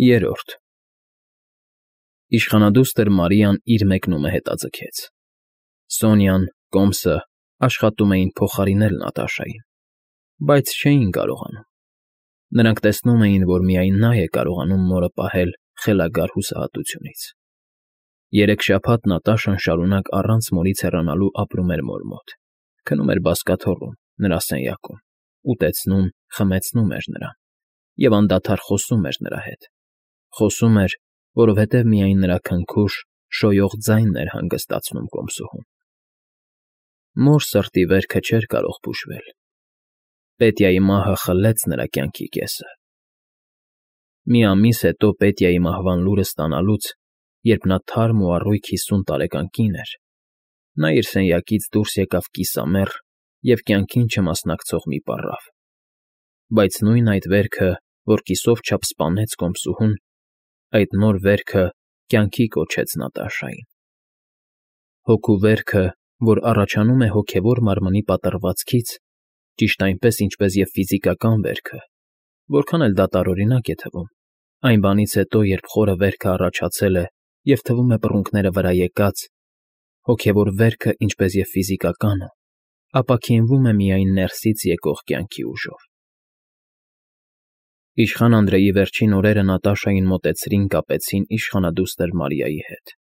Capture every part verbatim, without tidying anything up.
Երրորդ Իշխանադուստր Մարիան իր մեկնումը հետաձգեց. Սոնյան, Կոմսը աշխատում էին փոխարինել Նատաշային, բայց չէին կարողանում. նրանք տեսնում էին, որ միայն նա է կարողանում մորը պահել խելագար հուսահատությունից։ Երեք շաբաթ Նատաշան շարունակ առանց մորից հեռանալու ապրում էր մոր մոտ, քնում էր բազկաթոռում, նրա սենյակում, ուտեցնում, խմեցնում էր նրան և անդադար խոսում էր նրա հետ, խոսում էր, որովհետև միայն նրա քնքուշ, շոյող ձայնն էր հանգստացնում կոմսուհուն։ Մոր սրտի վերքը չէր կարող բուժվել։ Պետյայի մահը խլեց նրա կյանքի կեսը։ Մի ամիս հետո Պետյայի մահվան լուրը ստանալուց, երբ նա թարմ ու առույգ հիսուն տարեկան կին էր, նա իր սենյակից դուրս եկավ կիսամեռ և կյանքին չմասնակցող մի պառավ, բայց նույն այդ վերքը, որ կիսով չափ սպանեց կոմսուհուն, այդ նոր վերքը կյանքի կոչեց Նատաշային։ Հոգու վերքը, որ առաջանում է հոգևոր մարմնի պատռվածքից, ճիշտ այնպես, ինչպես և ֆիզիկական վերքը, որքան էլ դա տարօրինակ է թվում, այն բանից հետո, երբ խորը վերքը առաջացել է և թվում է բռունկները վրա եկած, հոգևոր վերքը, ինչպես և ֆիզիկականը, ապաքինվում է միայն ներսից եկող կյանքի ուժով։ Իշխան Անդրեի վերջին օրերը Նատաշային մոտեցրին կապեցին իշխանադուստր Մարիայի հետ։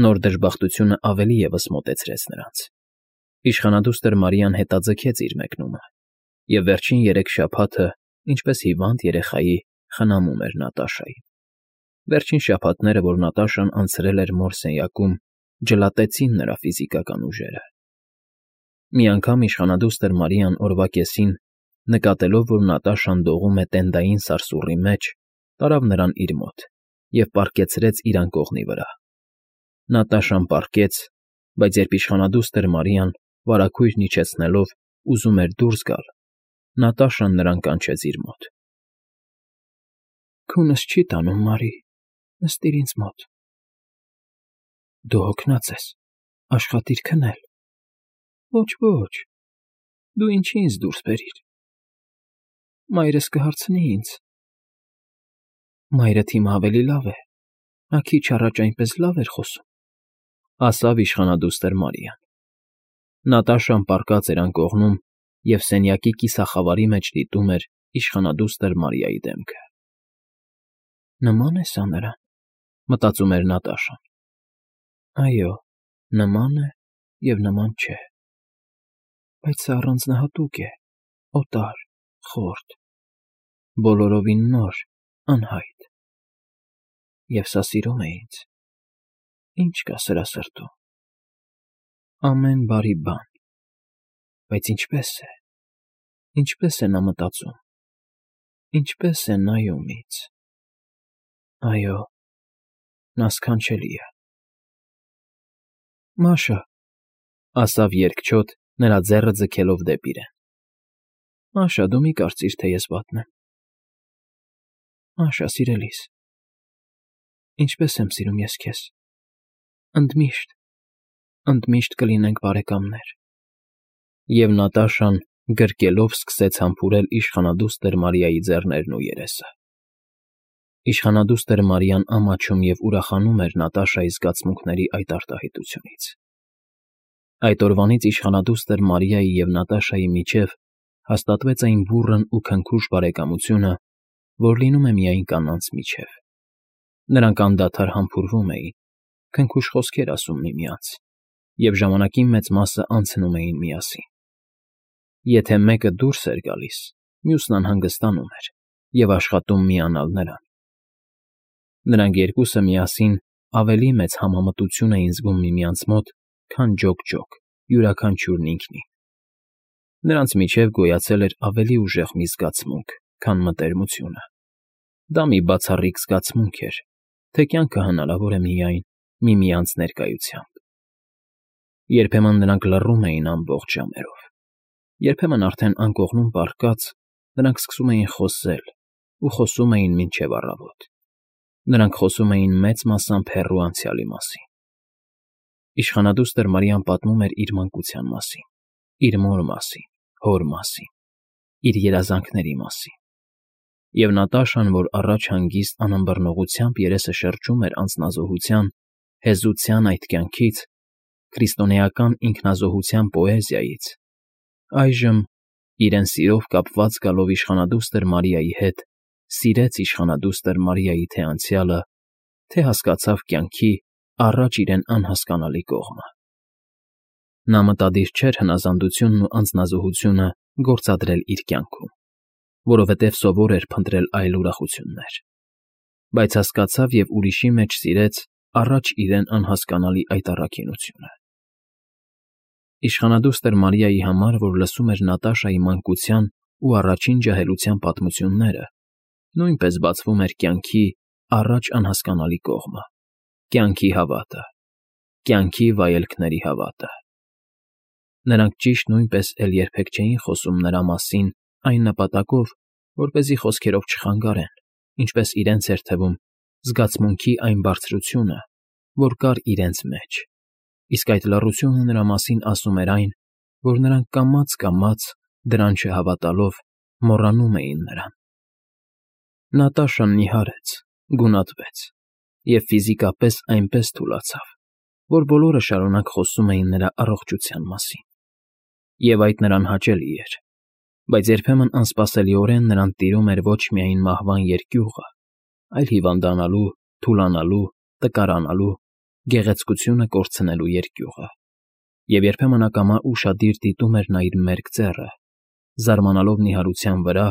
Նոր դժբախտությունը ավելի ևս մոտեցրեց նրանց։ Իշխանադուստր Մարիան հետաձգեց իր մեկնումը, և վերջին երեք շաբաթը, ինչպես հիվանդ երեխայի, խնամում էր Նատաշային։ Վերջին շաբաթները, որ Նատաշան անցրել էր մոր սենյակում, ջլատեցին նրա ֆիզիկական ուժերը։ Մի անգամ իշխանադուստր Մարիան օրվա կեսին, նկատելով, որ Նատաշան դողում է տենդային սարսուռի մեջ, տարավ նրան իր մոտ և պառկեցրեց իր անկողնի վրա։ Նատաշան պառկեց, բայց երբ իշխանադուստր Մարիան, վարագույրն իջեցնելով, ուզում էր դուրս գալ, Նատաշան նրան կանչեց իր մոտ։ Քունս չի տանում, Մարի, նստիր ինձ մոտ։ Դու հոգնած ես, աշխատիր քնել։ Ոչ, ոչ, դու ինչի ինձ դուրս բերիր։ Մայրս կհարցնի ինձ։ Մայրդ հիմա ավելի լավ է, նա քիչ առաջ այնպես լավ էր խոսում, ասավ իշխանադուստր Մարիան։ Նատաշան պառկած էր անկողնում և սենյակի կիսախավարի մեջ դիտում էր իշխանադուստր Մարիայի դեմքը։ Նման է սա նրան, մտածում էր Նատաշան։ Այո, նման է և նման չէ, բայց սա առանձնահատուկ է, օտար, խորտ, բոլորովին նոր, անհայտ։ Եվ սա սիրում է ինձ։ Ինչ կա սրա սրտում։ Ամեն բարի բան։ Բայց ինչպե՞ս է, ինչպե՞ս է նա մտածում, ինչպե՞ս է նայում ինձ։ Այո, նա սքանչելի է։ Մաշա, ասավ երկչոտ, նրա ձեռը ձգելով դեպի իրեն։ Մաշա, դու մի կարծիր, թե ես վատն եմ։ Մաշա, սիրելիս, ինչպես եմ սիրում ես քեզ։ Ընդմիշտ, ընդմիշտ կլինենք բարեկամներ։ Եվ Նատաշան գրկելով սկսեց համբուրել իշխանադուստր Մարիայի ձեռներն ու երեսը։ Իշխանադուստր Մարիան ամաչում և ուրախանում էր Նատաշայի զգացմունքների այդ արտահայտությունից։ Այդ օրվանից իշխանադուստր Մարիայի և Նատաշայի միջև հաստատվեց այն բուռն ու քնքուշ բարեկամությունը, որ լինում է միայն կանանց միջև։ Նրանք անդադար համբուրվում էին, քնքուշ խոսքեր ասում միմյանց և ժամանակի մեծ մասը անցնում էին միասին։ Եթե մեկը դուրս էր գալիս, մյուսն անհանգստանում էր և աշխատում միանալ նրան։ Նրանք երկուսը միասին ավելի մեծ համամտություն էին զգում միմյանց մոտ, քան ջոկ֊ջոկ, յուրաքանչյուրն ինքնին։ Նրանց միջև գոյացել էր ավելի ուժեղ մի զգացմունք, քան մտերմությունը։ Դա մի բացառիկ զգացմունք էր, թե կյանքը հնարավոր է միայն միմյանց ներկայությամբ։ Երբեմն նրանք լռում էին ամբողջ ժամերով, երբեմն արդեն անկողնում պառկած, նրանք սկսում էին խոսել ու խոսում էին մինչև առավոտ։ Նրանք խոսում էին մեծ մասամբ հեռու անցյալի մասին։ Իշխանադուստր Մարիան պատմում էր իր մանկության մասին, իր մոր մասին, հոր մասին, իր երազանքների մասին։ Եվ Նատաշան, որ առաջ հանգիստ անըմբռնողությամբ երեսը շրջում էր անձնազոհության, հեզության այդ կյանքից, քրիստոնեական ինքնազոհության պոեզիայից, այժմ, իրեն սիրով կապված գալով իշխանադուստր Մարիայի հետ, սիրեց իշխանադուստր Մարիայի թե անցյալը, թե հասկացավ կյանքի առաջ իրեն անհասկանալի կողմը։ Նա մտադիր չէր հնազանդությունն ու անձնազոհությունը գործադրել իր կյանքում, որովհետև սովոր էր փնտրել այլ ուրախություններ, բայց հասկացավ և ուրիշի մեջ սիրեց առաջ իրեն անհասկանալի այդ առաքինությունը։ Իշխանադուստր Մարիայի համար, որ լսում էր Նատաշայի մանկության ու առաջին ջահելության պատմությունները, նույնպես բացվում էր կյանքի առաջ անհասկանալի կողմը, կյանքի հավատը, կյանքի վայելքների հավատը։ Նրանք ճիշտ նույնպես էլ երբեք չէին խոսում նրա մասին այն նպատակով, որպեսզի խոսքերով չխանգարեն, ինչպես իրենց էր թվում, զգացմունքի այն բարձրությունը, որ կար իրենց մեջ, իսկ այդ լռությունը նրա մասին ասում էր այն, որ նրանք կամաց֊կամաց, դրան չհավատալով, մոռանում էին նրան։ Նատաշան նիհարեց, գունատվեց և ֆիզիկապես այնպես թուլացավ, որ բոլորը շարունակ խոսում էին նրա առողջության մասին, և այդ նրան հաճելի էր, բայց երբեմն անսպասելիորեն նրան տիրում էր ոչ միայն մահվան երկյուղը, այլ հիվանդանալու, թուլանալու, տկարանալու, գեղեցկությունը կորցնելու երկյուղը, և երբեմն ակամա ուշադիր դիտում էր նա իր մերկ ծեռը, զարմանալով նիհարության վրա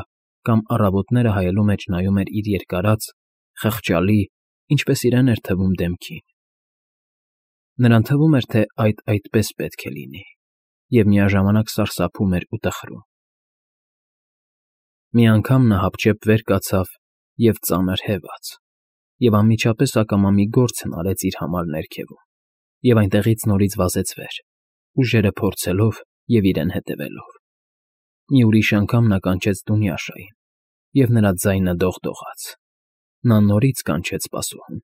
կամ առավոտները հայելու մեջ նայում էր իր երկարած, խղճալի, ինչպես իրեն էր թվում դեմքին։ Նրան թվում էր, թե այդ այդպես պետք է լինի, և միաժամանակ սարսափում էր ու տխրում։ Մի անգամ նա հապճեպ վեր կացավ և ծանր հևաց, և անմիջապես ակամա մի գործ հնարեց իր համար ներքևում, և այնտեղից նորից վազեց վեր, ուժերը փորձելով և իրեն հետևելով։ Մի ուրիշ անգամ նա կանչեց Դունյաշային, և նրա ձայնը դողդողաց։ Նա նորից կանչեց սպասուհուն,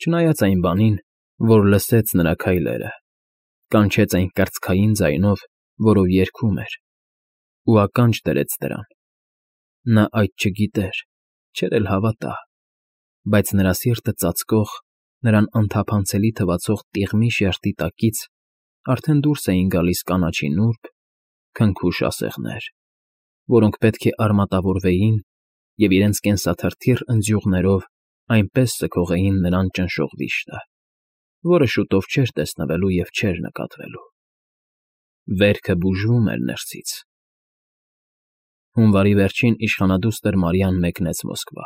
չնայած այն բանին, որ լսեց նրա քայլերը, կանչեց այն կրծքային ձայնով, որով երգում էր, ու ականջ դրեց դրան։ Նա այդ չգիտեր, չէր էլ հավատա, բայց նրա սիրտը ծածկող, նրան անթափանցելի թվացող տիղմի շերտի տակից արդեն դուրս էին գալիս կանաչի նուրբ, քնքուշ ասեղներ, որոնք պետք է արմատավորվեին և իրենց կենսաթրթիռ ընձյուղներով այնպես սգողեին նրան ճնշող վիշտը, որը շուտով չէր տեսնվելու և չէր նկատվելու։ Վերքը բուժվում էր ներսից։ Հունվարի վերջին իշխանադուստր Մարիան մեկնեց Մոսկվա,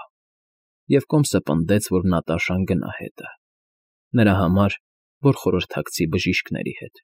և կոմսը պնդեց, որ Նատաշան գնա հետը, նրա համար, որ խորհրդակցի բժիշկների հետ։